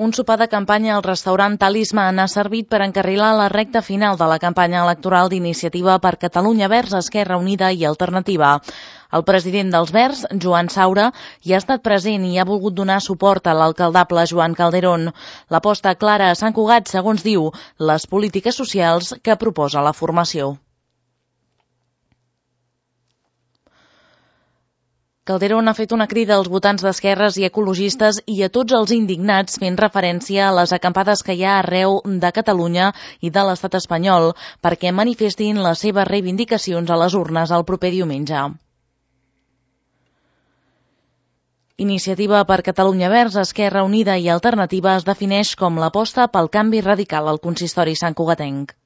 Un sopar de campanya al restaurant Talisman ha servit per encarrilar la recta final de la campanya electoral d'Iniciativa per Catalunya Verds, Esquerra Unida i Alternativa. El president dels Verds, Joan Saura, hi ha estat present i ha volgut donar suport a l'alcaldable Joan Calderón. L'aposta clara a Sant Cugat, segons diu, les polítiques socials que proposa la formació. Calderón ha fet una crida als votants d'esquerres i ecologistes i a tots els indignats fent referència a les acampades que hi ha arreu de Catalunya i de l'estat espanyol perquè manifestin les seves reivindicacions a les urnes el proper diumenge. Iniciativa per Catalunya Verds, Esquerra Unida i Alternativa es defineix com l'aposta pel canvi radical al consistori santcugatenc.